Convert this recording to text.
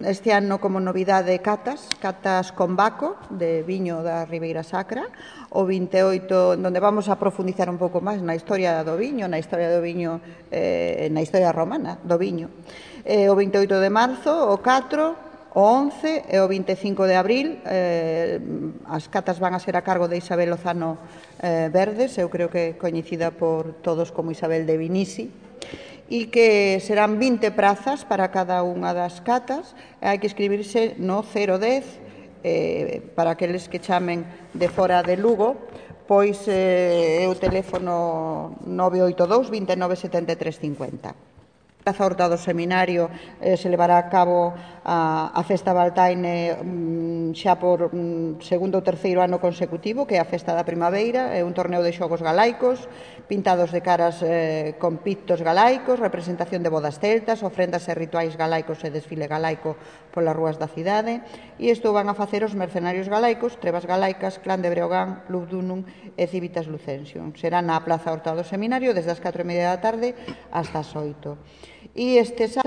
este ano como novidade catas con Baco, de viño da Ribeira Sacra, o 28, onde vamos a profundizar un pouco máis na historia do viño, na historia romana do viño. O 28 de marzo, o 4, o 11 e o 25 de abril. As catas van a ser a cargo de Isabel Lozano Verdes, eu creo que coñecida por todos como Isabel de Vinisi, e que serán 20 prazas para cada unha das catas. Hai que escribirse no 010 para aqueles que chamen de fora de Lugo, pois é o teléfono 982 29 73 50. Praza Horta do Seminario se levará a cabo a Festa Baltaine xa por segundo ou terceiro ano consecutivo, que é a Festa da Primavera. É un torneo de xogos galaicos, pintados de caras con pictos galaicos, representación de bodas celtas, ofrendas e rituais galaicos e desfile galaico polas rúas da cidade. E isto van a facer os mercenarios galaicos, Trevas Galaicas, Clan de Breogán, Lugdunum e Civitas Lucensium. Será na Praza Horta do Seminario desde as 4:30 da tarde hasta as 8. E este